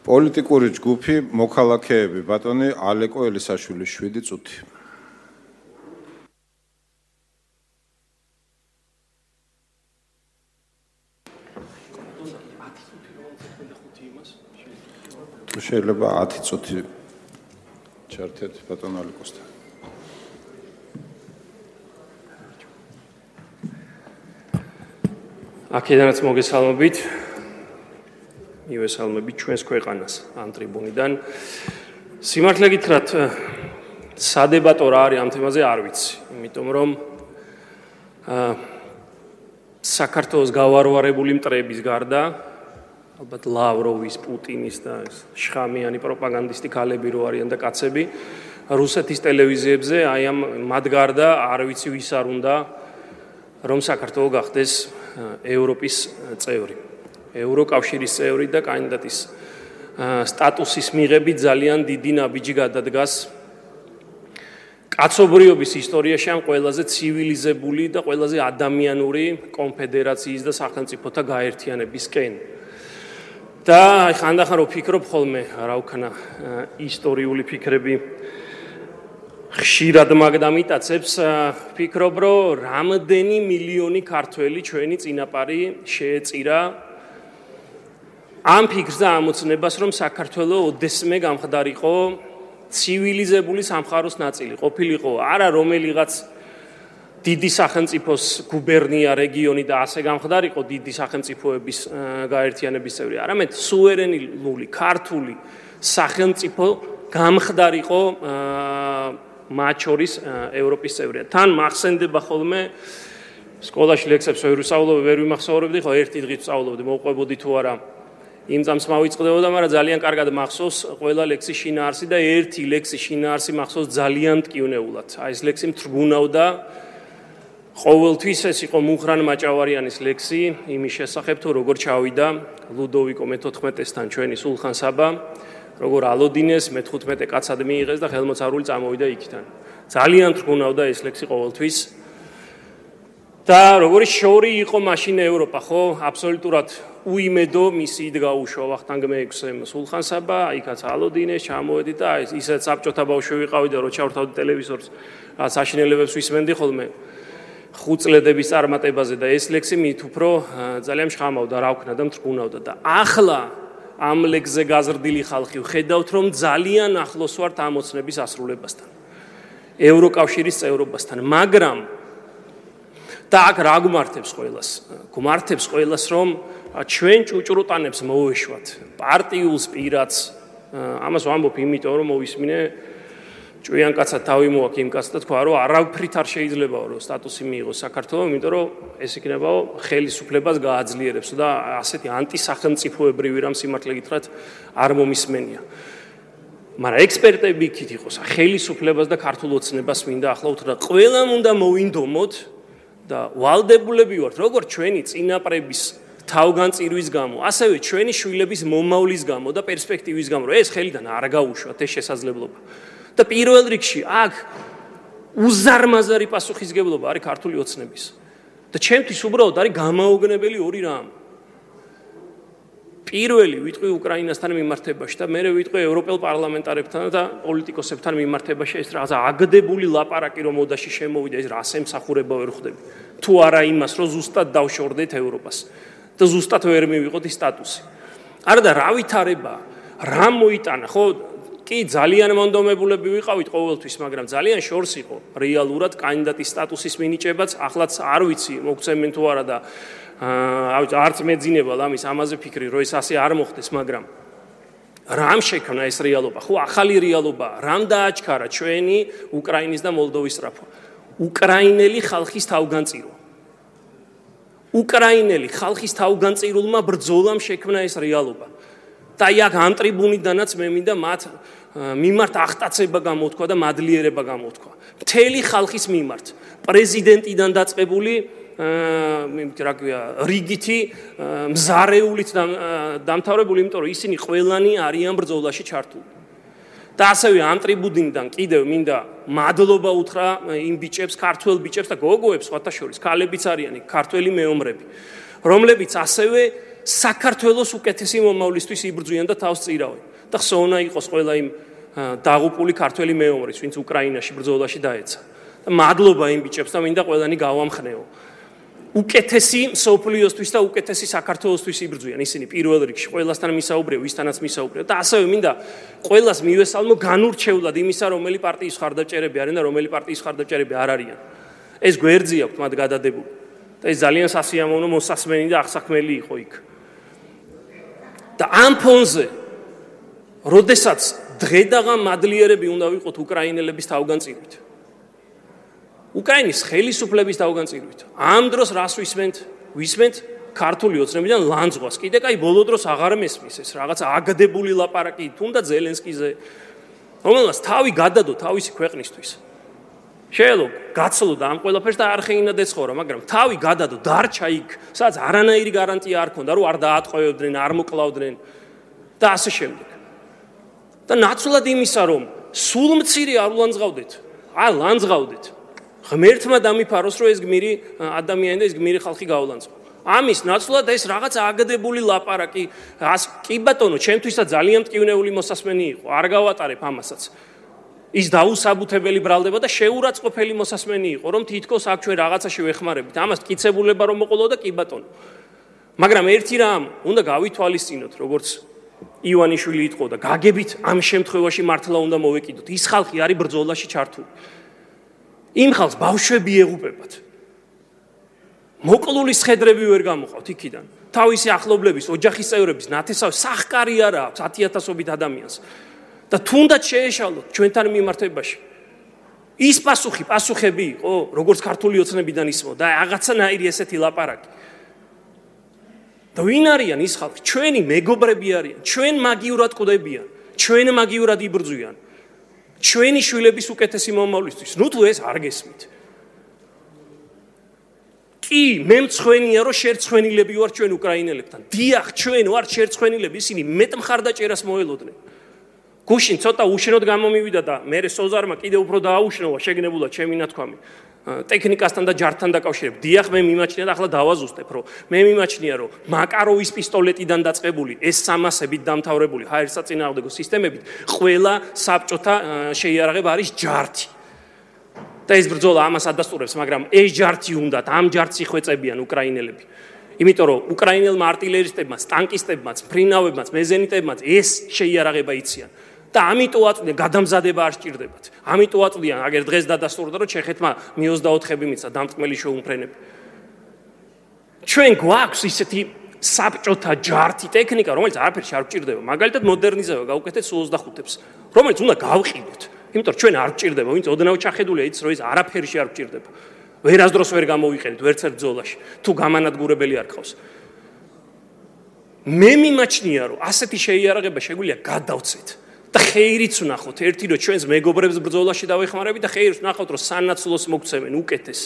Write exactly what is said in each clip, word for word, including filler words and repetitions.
პოლიტიკური ჯგუფი მოქალაქეები ბატონი ალეკო ელისაშვილი შვიდი წუთი. შეიძლება ათი წუთი ჩართეთ ბატონ ალეკოსთან. აქედანაც მოგესალმებით. მივესალმებით ჩვენს ქვეყანას ამ ტრიბუნიდან. სიმართლე გითხრათ, სადებატო რა არის ამ თემაზე არ ვიცი, იმიტომ რომ საქართველოს გავარვარებული მტრების გარდა ალბათ ლავროვის, პუტინის და შხამიანი პროპაგანდისტი ქალები რო არიან და კაცები რუსეთის ტელევიზიებზე აი ამ მათ გარდა არ ვიცი ვის არ უნდა რომ საქართველო გახდეს ევროპის წევრი. ევროკავშირის წევრი და კანდიდატის სტატუსის მიღებით ძალიან დიდი ნაბიჯი გადადგას კაცობრიობის ისტორიაში ამ ყველაზე ცივილიზებული და ყველაზე ადამიანური კონფედერაციის და სახელმწიფოთა გაერთიანებისკენ. და ხანდახან რო ფიქრობ ხოლმე, რა ვქნა, ისტორიული ფიქრები ხშირად მაგდამიტაცებს, ფიქრობ, რომ რამდენი მილიონი ქართველი ჩვენი წინაპარი შეეწირა ამ ფიქრს და ამოცნებას, რომ საქართველო ოდესმე გამხდარიყო ცივილიზებული სამყაროს ნაწილი, ყოფილიყო არა რომელიღაც დიდი სახელმწიფოს გუბერნია, რეგიონი და ასე გამხდარიყო დიდი სახელმწიფოების გაერთიანების წევრი, არამედ სუვერენული ქართული სახელმწიფო გამხდარიყო მათ შორის ევროპის წევრია. თან მახსენდება ხოლმე სკოლაში ლექსებს ვერ ვისწავლობდი, ვერ ვიმახსოვრებდი, ხო ერთი დღით ვსწავლობდი, მოვყვებოდი თუ არა იმ წამს მავიწყდებოდა, მაგრამ ძალიან კარგად მახსოვს ყველა ლექსის შინაარსი და ერთი ლექსის შინაარსი მახსოვს ძალიან მტკივნეულად. აი ეს ლექსი მთრგუნავდა ყოველთვის, ეს იყო მუხრან მაჭავარიანის ლექსი იმის შესახებ, თუ როგორ ჩავიდა ლუდოვიკო მეთოთხმეტესთან ჩვენი სულხან საბა, როგორ ალოდინეს მეთხუთმეტე კაცად მიიღეს და ხელმოწარული წამოვიდა იქიდან. ძალიან თრგუნავდა ეს ლექსი ყოველთვის. და როგორი შორი იყო მაშინ ევროპა, ხო? აბსოლუტურად უიმედო მისიით გაუშვა ვახტანგ მეექვსემ სულხან საბა, იქაც ალოდინეს ჩამოვედი და ისეთ საბჭოთა ბავშვი ვიყავი და რო ჩავრთავდი ტელევიზორს, რაც აშინელებებს ვისმენდი ხოლმე ხუთწლედების წარმატებაზე და ეს ლექსი მით უფრო ძალიან მშხამავდა, რა ვქნა და მთრგუნავდა და ახლა ამ ლექსზე გაზრდილი ხალხი ვხედავთ, რომ ძალიან ახლოს ვართ ამოცნების ასრულებასთან. ევროკავშირის წევრობასთან, მაგრამ და აქ რა გმართებს ყველას? გმართებს ყველას, რომ ჩვენ ჭუჭრუტანებს მოვეშვათ, პარტიულს პირაც, ამას ვამბობ იმიტომ, რომ მოვისმინე ჭვიან კაცად თავი მოაქვს იმ კაცს და თქვა, რომ არავითრით არ შეიძლებაო, რომ სტატუსი მიიღოს საქართველოს, იმიტომ რომ ეს იქნებაო ხელისუფლებას გააძლიერებს და ასეთი ანტისახელმწიფოებრივი რამ სიმართლე გითხრათ არ მომისმენია. მაგრამ ექსპერტები იქით იყოს, ხელისუფლებას და ქართულ ოცნებას მინდა ახლა უთხრა, ყველამ უნდა მოვინდომოთ და ვალდებულები ვართ, როგორც ჩვენი წინაპრების თავგანწირვის გამო, ასევე ჩვენი შვილების მომავლის გამო და პერსპექტივის გამო, რომ ეს ხელიდან არ გაუშვათ ეს შესაძლებლობა. და პირველ რიგში აქ უზარმაზარი პასუხისგებლობა არის ქართული ოცნების. და ჩემთვის უბრალოდ არის გამაოგნებელი ორი რამ. პირველი ვიტყვი უკრაინასთან მიმართებაში და მერე ვიტყვი ევროპელ პარლამენტარებთან და პოლიტიკოსებთან მიმართებაში, ეს რაღაცა აგდებული ლაპარაკი რომ მოდაში შემოვიდა, ეს რას ემსახურება ვერ ხვდები. თუ არა იმას, რომ ზუსტად დავშორდეთ ევროპას და ზუსტად ვერ მივიღოთ ის სტატუსი. არა და რა ვითარება, რა მოიტანა, ხო? კი ძალიან მონდომებულები ვიყავით ყოველთვის, მაგრამ ძალიან შორს იყო რეალურად კანდიდატის სტატუსის მინიჭებაც, ახლაც არ ვიცი მოგცემენ თუ არა და არც მეძინებალ ამის ამაზე ფიქრი, რომ ეს ასე არ მოხდეს, მაგრამ რამ შექმნა ეს რეალობა? ხო, ახალი რეალობა, რამ დააჩქარა ჩვენი უკრაინის და მოლდოვის სწრაფვა? უკრაინელი ხალხის თავგანწირვა. უკრაინელი ხალხის თავგანწირულმა ბრძოლამ შექმნა ეს რეალობა. და იქ ამ ტრიბუნიდანაც მე მინდა მათ მიმართ აღტაცება გამოთქვა და მადლიერება გამოთქვა. მთელი ხალხის მიმართ, პრეზიდენტიდან დაწყებული რა ქვია, რიგითი მზარეულით დამთავრებული, იმიტომ რომ ისინი ყველანი არიან ბრძოლაში ჩართული. და ასევე ამ ტრიბუნიდან კიდევ მინდა მადლობა უთხრა იმ ბიჭებს, ქართველ ბიჭებს და გოგოებს, სხვათა შორის, ქალებიც არიან იქ, ქართველი მეომრები, რომლებიც ასევე საქართველოს უკეთესი მომავლისთვის იბრძვიან და თავს წირავენ. და ხსოვნა იყოს ყველა იმ დაღუპული ქართველი მეომრის, ვინც უკრაინაში ბრძოლაში დაეცა. და მადლობა იმ ბიჭებს და მინდა ყველანი გავამხნეო. უკეთესი სოფლიოსთვის და უკეთესი საქართველოსთვის იბრძვიან. ისინი პირველ რიგში ყველასთან მისაუბრეო, ვისთანაც მისაუბრეო და ასევე მინდა ყველას მივესალმო განურჩევლად იმისა, რომელი პარტიის ხარდაჭერები არიან და რომელი პარტიის ხარდაჭერები არ არიან. ეს გვერდზე აქვს მათ გადადებული. და ეს ძალიან სასიამოვნო მოსასმენი და აღსაქმელი იყო იქ. და ამ ფონზე, როდესაც დღედაღა მადლიერები უნდა ვიყოთ უკრაინელების თავგანწირვით. უკრაინის ხელისუფლების თავგანწირვით. ამ დროს რას ვისმენთ? ვისმენთ ქართული ოცნებიდან ლანძღვას. კიდე კაი ბოლო დროს აღარ მესმის ეს რაღაც აგდებული ლაპარაკი თუნდაც ზელენსკიზე, რომელსაც თავი გადადო თავისი ქვეყნისთვის. შეიძლება გაცლო და ამ ყველაფერს და არ ხეინა ეცხოვრა, მაგრამ თავი გადადო დარჩა იქ, სადაც არანაირი გარანტია არ ქონდა, რომ არ დაატყვევდნენ, არ მოკლავდნენ და ასე შემდეგ. და ნაცვლად იმისა, რომ სულ მცირე არ ვლანძღავდეთ, არ ლანძღავდეთ. ღმერთმა დამიფაროს, რომ ეს გმირი ადამიანი და ეს გმირი ხალხი გავლანძღო. ამის ნაცვლად ეს რაღაც აგდებული ლაპარაკი, კი ბატონო, ჩემთვისაც ძალიან მტკივნეული მოსასმენი იყო, არ გავატარებ ამასაც. ის დაუსაბუთებელი ბრალდება და შეურაცხყოფელი მოსასმენი იყო, რომ თითქოს აქ ჩვენ რაღაცაში ვეხმარებით. ამას მტკიცებულება რომ მოყოლო და კი ბატონო. მაგრამ ერთი რამ უნდა გავითვალისწინოთ, როგორც ივანიშვილი იტყო და გაგებით ამ შემთხვევაში მართლა უნდა მოვეკიდოთ. ის ხალხი არის ბრძოლაში ჩართული. იმ ხალხს ბავშვები ეღუპებათ. მოკლული სხედრები ვერ გამოყავთ იქიდან. თავისი ახლობლების, ოჯახის წევრების ნათესავი სახკარი არა აქვს ათიათასობით ადამიანს. და თუნდაც შეეშალოთ ჩვენთან მიმართებაში. ის პასუხი, პასუხები იყო, როგორც ქართული ოცნებიდან ისმო და რაღაცნაირი ესეთი ლაპარაკი. და ვინ არიან ის ხალხი? ჩვენი მეგობრები არიან, ჩვენ მაგიურად ყვდებიან, ჩვენ მაგიურად იბრძვიან. ჩვენი შვილების უკეთესი მომავლისთვის. ნუ თუ ეს არ გესმით. კი, მე მცხვენია, რომ შერცხვენილები ვარ ჩვენ უკრაინელებთან. დიახ, ჩვენ ვარ შერცხვენილები, ისინი მეტ მხარდაჭერას მოელოდნენ. გუშინ ცოტა უშენოდ გამომივიდა და მე სოზარმა კიდევ უფრო დააუშნოვა შეგნებულად ჩემი ნათქვამი. ტექნიკასთან და ჯართან დაკავშირებით. დიახ, მე მიმაჩნია და ახლა დავაზუსტებ, რომ მე მიმაჩნია, რომ მაკაროვის პისტოლეტიდან დაწყებული ეს სამასებით დამთავრებული ჰაერსაწინააღმდეგო სისტემებით ყველა საბჭოთა შეიარაღება არის ჯართი. და ეს ბრძოლა ამას ადასტურებს, მაგრამ ეს ჯართი უნდათ, ამ ჯართს იხვეწებიან უკრაინელები. იმიტომ რომ უკრაინელმა არტილერისტებმაც, ტანკისტებმაც, ფრინავებმაც, მეზენიტებმაც ეს შეიარაღება იციან. და ამიტომ აწვდიან გადამზადება არ სჭირდებათ. ამიტომ აწვდიან, აგერ დღეს დადასტურდა, რომ ჩეხეთმა მი ოცდაოთხები მიცა დამწყმელი შეუმფრენები. ჩვენ გვაქვს ისეთი საბჭოთა ჯართი ტექნიკა, რომელიც არაფერში არ გვჭირდება. მაგალითად მოდერნიზება გავუკეთეთ სუ ოცდახუთებს, რომელიც უნდა გავყიდოთ. იმიტომ რომ ჩვენ არ გვჭირდება, ვინც ოდნავ ჩახედულია, იცის რომ ის არაფერში არ გვჭირდება. ვერასდროს ვერ გამოვიყენით ვერც ერთ ბრძოლაში, თუ გამანადგურებელი არ ყავს. მე მიმაჩნია, რომ ასეთი შეიარაღება შეგვიძლია გადავცეთ. და ხეირიც ვნახოთ, ერთი რომ ჩვენს მეგობრებს ბრძოლაში დავეხმარებით და ხეირიც ვნახოთ, რომ სანაცვლოს მოგცემენ უკეთეს.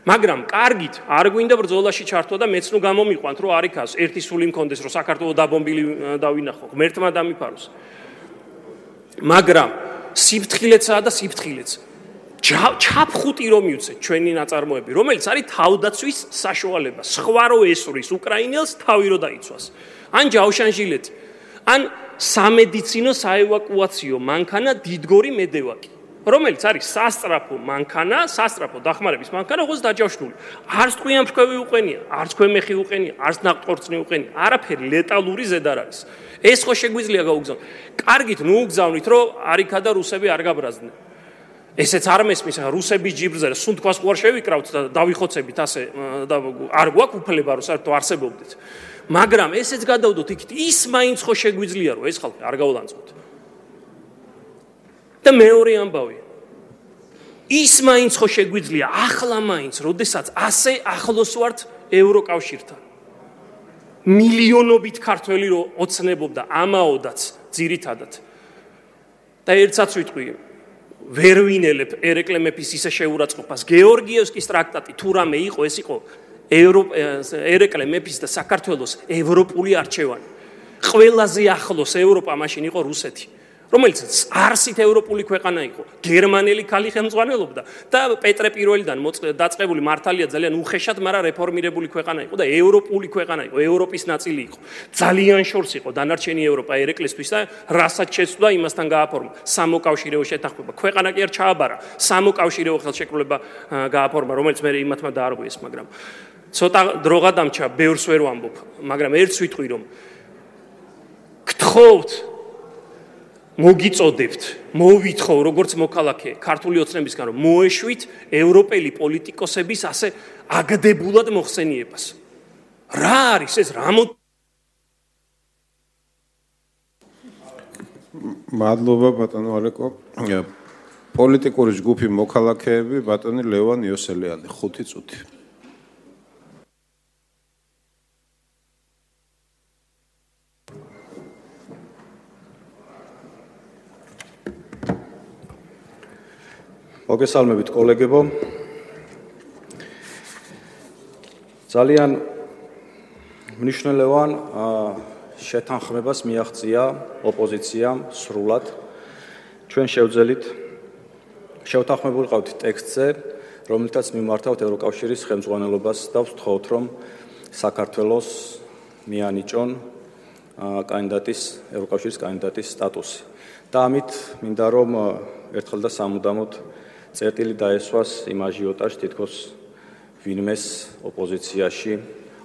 მაგრამ კარგით, არ გვინდა ბრძოლაში ჩართვა და მეც ნუ გამომიყვანთ, რომ არ იქას ერთი სული მქონდეს, რომ საქართველოს დაბომბილი დავინახო, ღმერთმა დამიფაროს. მაგრამ სიფრთხილეცაა და სიფრთხილეც. ჩაფხუტი რომ მივცეთ ჩვენი ნაწარმოები, რომელიც არის თავდაცვის საშუალება, სხვა რო ესვრის უკრაინელს თავი რო დაიცვას. ან ჯავშანჟილეთი, ან სამედიცინო საევაკუაციო მანქანა დიდგორი მედევაკი, რომელიც არის სასწრაფო მანქანა, სასწრაფო დახმარების მანქანა, როგორც დაჯავშნული. არც ტყვიან ფრქვევი უყენია, არც ქვემეხი უყენია, არც ნაყტყორწნი უყენია, არაფერი ლეტალური ზედ არ არის. ეს ხო შეგვიძლია გაუგზავნოთ. კარგით, ნუ უგზავნით, რომ არიქა და რუსები არ გაბრაზდნენ. ესეც არ მესმის, რუსების ჯიბრზე სუნთქვას ყوار შევიკრავთ და დავიხოცებით ასე და არ გვაქვს უფლება რომ საერთოდ არსებობდეთ. მაგრამ ესეც გადავდოთ იქით, ის მაინც ხო შეგვიძლია რომ ეს ხალხი არ გავლანძღოთ. და მეორე ამბავი. ის მაინც ხო შეგვიძლია ახლა მაინც, როდესაც ასე ახლოს ვართ ევროკავშირთან. მილიონობით ქართველი რო ოცნებობდა ამაოდაც ძირითადად. და ერთსაც ვიტყვი ვერ ვინელებ ერეკლე მეფის ისე შეურაცხყოფას. გეორგიევსკის ტრაქტატი თუ რამე იყო, ეს იყო ერეკლე მეფის და საქართველოს ევროპული არჩევანი. ყველაზე ახლოს ევროპა მაშინ იყო რუსეთი. რომელიც არსით ევროპული ქვეყანა იყო, გერმანელი ქალი ხელმძღვანელობდა და პეტრე პირველიდან დაწყებული მართალია ძალიან უხეშად, მაგრამ რეფორმირებული ქვეყანა იყო და ევროპული ქვეყანა იყო, ევროპის ნაწილი იყო. ძალიან შორს იყო დანარჩენი ევროპა ერეკლისთვის და რასაც შეცვლა იმასთან გააფორმა. სამოკავშირეო შეთანხმება. ქვეყანა კი არ ჩააბარა, სამოკავშირეო ხელშეკრულება გააფორმა, რომელიც მე იმათმა დაარღვიეს, მაგრამ ცოტა დროღა დამჩა, ბევრს ვერ ვამბობ, მაგრამ ერთს ვიტყვი რომ გთხოვთ მოგიწოდებთ, მოვითხოვ როგორც მოქალაქე ქართული ოცნებისგან რომ მოეშვით ევროპელი პოლიტიკოსების ასე აგდებულად მოხსენიებას. რა არის ეს რამო მადლობა ბატონო ალეკო. პოლიტიკური ჯგუფი მოქალაქეები ბატონი ლევან იოსელიანი ხუთი წუთი. მოგესალმებით კოლეგებო. ძალიან მნიშვნელოვან შეთანხმებას მიაღწია ოპოზიციამ სრულად. ჩვენ შევძელით შევთანხმებული ყავთ ტექსტზე, რომელთაც მიმართავთ ევროკავშირის ხელმძღვანელობას და ვთხოვთ, რომ საქართველოს მიანიჭონ კანდიდატის ევროკავშირის კანდიდატის სტატუსი. და ამით მინდა რომ ერთხელ და სამუდამოდ წერტილი დაესვას იმ აჟიოტაჟს, თითქოს ვინმეს ოპოზიციაში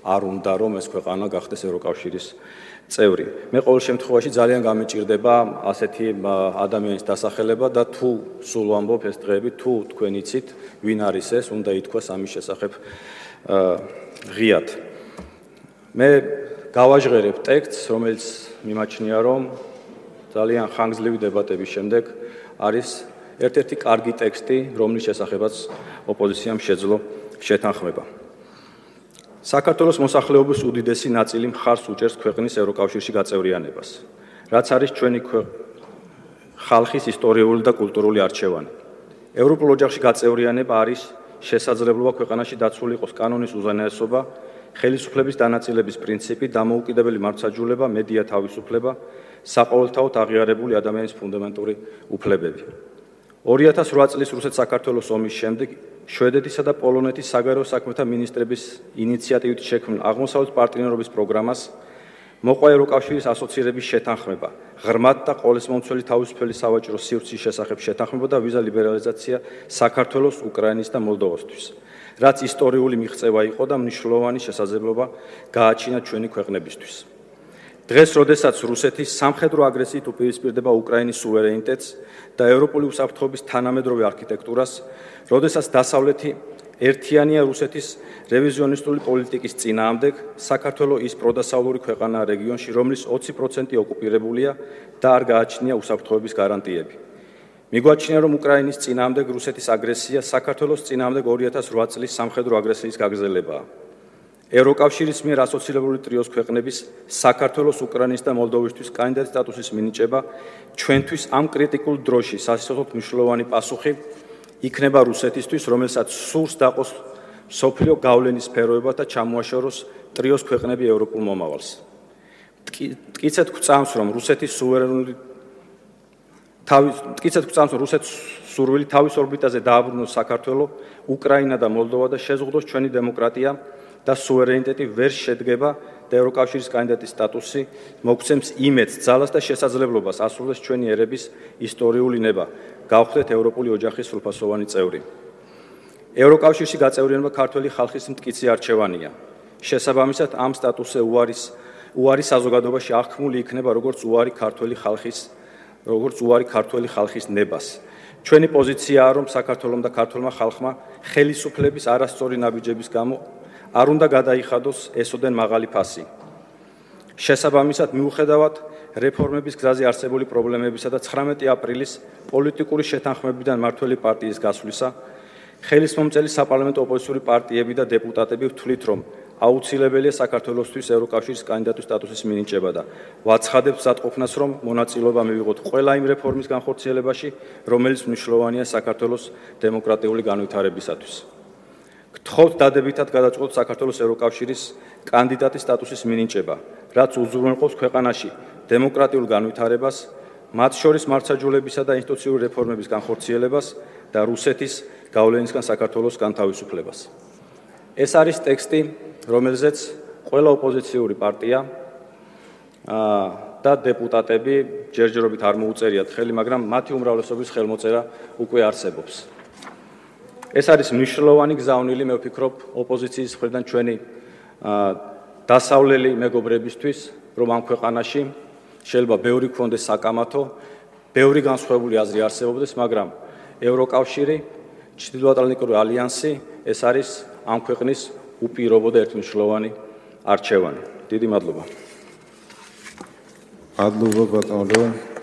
არ უნდა რომ ეს ქვეყანა გახდეს ევროკავშირის წევრი. მე ყოველ შემთხვევაში ძალიან გამიჭირდება ასეთი ადამიანის დასახელება და თუ სულ ვამბობ ეს დღეები, თუ თქვენ იცით ვინ არის ეს, უნდა ითქვას ამის შესახებ ღიად. მე გავაჟღერებ ტექსტს, რომელიც მიმაჩნია რომ ძალიან ხანგრძლივი დებატების შემდეგ არის ერთ-ერთი კარგი ტექსტი, რომლის შესახებაც ოპოზიციამ შეძლო შეთანხმება. საქართველოს მოსახლეობის უდიდესი ნაწილი მხარს უჭერს ქვეყნის ევროკავშირში გაწევრიანებას, რაც არის ჩვენი ხალხის ისტორიული და კულტურული არჩევანი. ევროპულ ოჯახში გაწევრიანება არის შესაძლებლობა ქვეყანაში დაცული იყოს კანონის უზენაესობა, ხელისუფლების დანაწილების პრინციპი, დამოუკიდებელი მართლმსაჯულება, მედია თავისუფლება, საყოველთაოდ აღიარებული ადამიანის ფუნდამენტური უფლებები. ორი ათას რვა წლის რუსეთ-საქართველოს ომის შემდეგ შვედეთისა და პოლონეთის საგარეო საქმეთა მინისტრების ინიციატივით შექმნილ აღმოსავლეთ პარტნიორობის პროგრამას მოყვა ევროკავშირის ასოცირების შეთანხმება, ღრმად და ყოვლისმომცველი თავისუფალი სავაჭრო სივრცის შესახებ შეთანხმება და ვიზა ლიბერალიზაცია საქართველოს, უკრაინის და მოლდოვასთვის, რაც ისტორიული მიღწევა იყო და მნიშვნელოვანი შესაძლებლობა გააჩინა ჩვენი ქვეყნებისთვის. დღეს, როდესაც რუსეთის სამხედრო აგრესიით უპირისპირდება უკრაინის სუვერენიტეტს და ევროპული უსაფრთხოების თანამედროვე არქიტექტურას, როდესაც დასავლეთი ერთიანია რუსეთის რევიზიონისტული პოლიტიკის წინააღმდეგ, საქართველო ის პროდასავლური ქვეყანაა რეგიონში, რომლის ოცი პროცენტი ოკუპირებულია და არ გააჩნია უსაფრთხოების გარანტიები. მიგვაჩნია, რომ უკრაინის წინააღმდეგ რუსეთის აგრესია საქართველოს წინააღმდეგ ორი ათას რვა წლის სამხედრო აგრესიის გაგრძელებაა. ევროკავშირის მიერ ასოცირებული ტრიოს ქვეყნების საქართველოს, უკრაინის და მოლდოვისთვის კანდიდატის სტატუსის მინიჭება ჩვენთვის ამ კრიტიკულ დროში სასიცოცხლოდ მნიშვნელოვანი პასუხი იქნება რუსეთისთვის, რომელსაც სურს დაყოს სოფლიო გავლენის სფეროება და ჩამოაშოროს ტრიოს ქვეყნები ევროპულ მომავალს. მტკიცედ გვწამს, რომ რუსეთის სუვერენული თავის მტკიცედ გვწამს, რომ რუსეთის სურვილი თავის ორბიტაზე დააბრუნოს საქართველო, უკრაინა და მოლდოვა და შეზღუდოს ჩვენი დემოკრატია და სუვერენიტეტი ვერ შედგება და ევროკავშირის კანდიდატის სტატუსი მოგცემს იმედს, ძალას და შესაძლებლობას ასრულოს ჩვენი ერების ისტორიული ნება, გავხდეთ ევროპული ოჯახის სრულფასოვანი წევრი. ევროკავშირში გაწევრიანება ქართველი ხალხის მტკიცე არჩევანია. შესაბამისად, ამ სტატუსზე უარის უარი საზოგადოებაში აღქმული იქნება როგორც უარი ქართველი ხალხის, როგორც უარი ქართველი ხალხის ნებას. ჩვენი პოზიციაა, რომ საქართველოს და ქართველმა ხალხმა ხელისუფლების არასწორი ნაბიჯების გამო არ უნდა გადაიხადოს ესოდენ მაღალი ფასი. შესაბამისად, მიუხედავად რეფორმების გზაზე არსებული პრობლემებისა და ცხრამეტი აპრილის პოლიტიკური შეთანხმებიდან მართველი პარტიის გასვლისა, ხელისმომწერი საპარლამენტო ოპოზიციური პარტიები და დეპუტატები ვთვლით, რომ აუცილებელია საქართველოსთვის ევროკავშირის კანდიდატის სტატუსის მინიჭება და ვაცხადებთ მზადყოფნას, რომ მონაწილეობა მივიღოთ ყველა იმ რეფორმის განხორციელებაში, რომელიც მნიშვნელოვანია საქართველოს დემოკრატიული განვითარებისათვის. გთხოვთ დადებითად გადაწყვეტოთ საქართველოს ევროკავშირის კანდიდატის სტატუსის მინიჭება, რაც უზრუნველყოფს ქვეყანაში დემოკრატიულ განვითარებას, მათ შორის მართლმსაჯულებისა და ინსტიტუციური რეფორმების განხორციელებას და რუსეთის გავლენისგან საქართველოს განთავისუფლებას. ეს არის ტექსტი, რომელზეც ყველა ოპოზიციური პარტია და დეპუტატები ჯერჯერობით არ მოუწერიათ ხელი, მაგრამ მათი უმრავლესობის ხელმოწერა უკვე არსებობს. ეს არის მნიშვნელოვანი გზავნილი, მე ვფიქრობ, ოპოზიციის მხრიდან ჩვენი დასავლელი მეგობრებისთვის, რომ ამ ქვეყანაში შეიძლება ბევრი ქონდეს საკამათო, ბევრი განსხვავებული აზრი არსებობდეს, მაგრამ ევროკავშირი, ჩრდილოატლანტიკური ალიანსი, ეს არის ამ ქვეყნის უპირობო და ერთმნიშვნელოვანი არჩევანი. დიდი მადლობა. მადლობა ბატონო.